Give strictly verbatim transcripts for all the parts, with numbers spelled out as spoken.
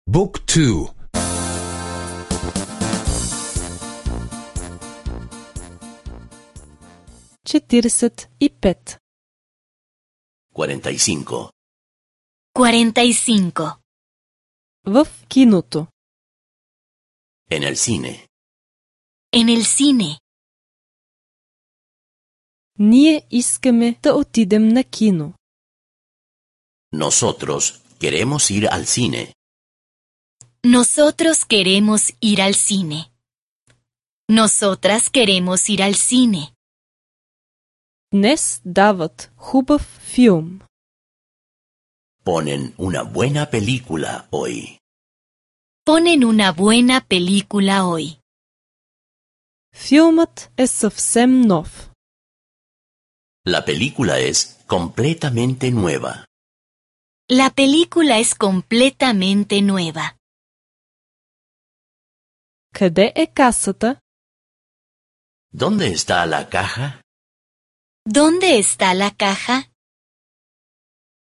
Book two. четиридесет и пет. cuarenta y cinco. cuarenta y cinco. В киното. En el cine. En el cine. Ние искаме да отидем на кино. Nosotros queremos ir al cine. Nosotros queremos ir al cine. Nosotras queremos ir al cine. Днес дават хубав филм. Ponen una buena película hoy. Ponen una buena película hoy. Филмът е съвсем нов. La película es completamente nueva. La película es completamente nueva. Къде е касата? ¿Dónde está la caja? ¿Dónde está la caja?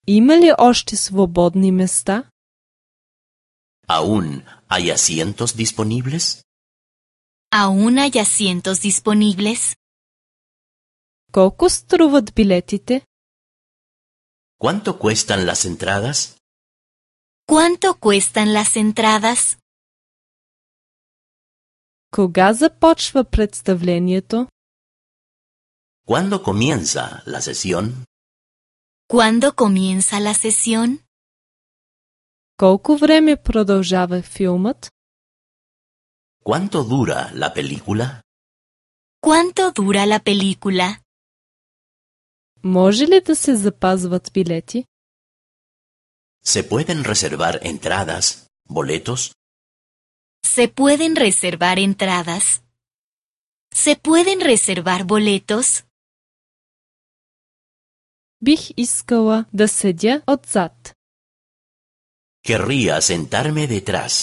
Има ли още свободни места? ¿Aún hay asientos disponibles? ¿Aún hay asientos disponibles? Колко струват билетите? ¿Cuánto cuestan las entradas? ¿Cuánto cuestan las entradas? Кога започва представлението? ¿Cuándo comienza la sesión? ¿Cuándo comienza la sesión? Колко време продължава филмът? ¿Cuánto dura la película? ¿Cuánto dura la película? Може ли да се запазват билети? ¿Se pueden reservar entradas, boletos? ¿Se pueden reservar entradas? ¿Se pueden reservar boletos? Бих искала да седя отзад. Querría sentarme detrás.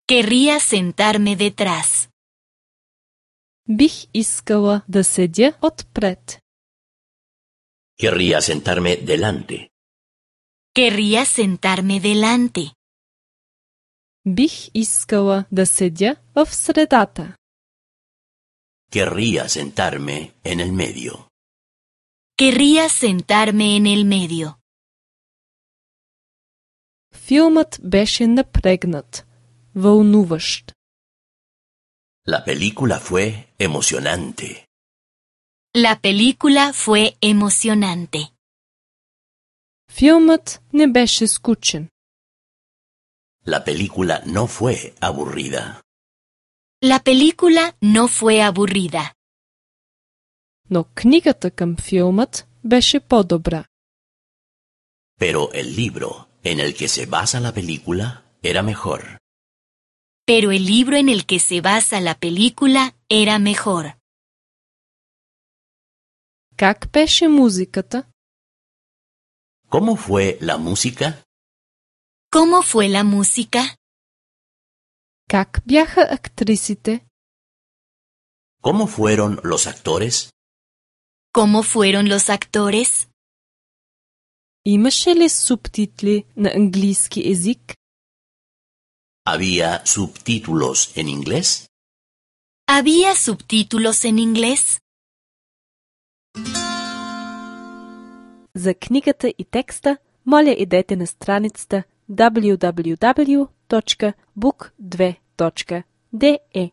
Querría sentarme detrás. Бих искала да седя отпред. Querría sentarme delante. Querría sentarme delante. Бих искала да седя в средата. Querría sentarme en el medio. Querría sentarme en el medio. Филмът беше напрегнат, вълнуващ. La película fue emocionante. La película fue emocionante. Филмът не беше скучен. La película no fue aburrida. La película no fue aburrida. Но книгата към филмът беше по-добра. Pero el libro en el que se basa la película era mejor. Pero el libro en el que se basa la película era mejor. Как беше музиката? ¿Cómo fue la música? ¿Cómo fue la música? Как бяха актрисите? ¿Cómo fueron los actores? ¿Cómo fueron los actores? Имаше ли субтитли на английски език? ¿Había subtítulos en inglés? ¿Había subtítulos en inglés? За книгата и текста, моля идете на страницата дабъл ю дабъл ю дабъл ю точка бук две точка де е.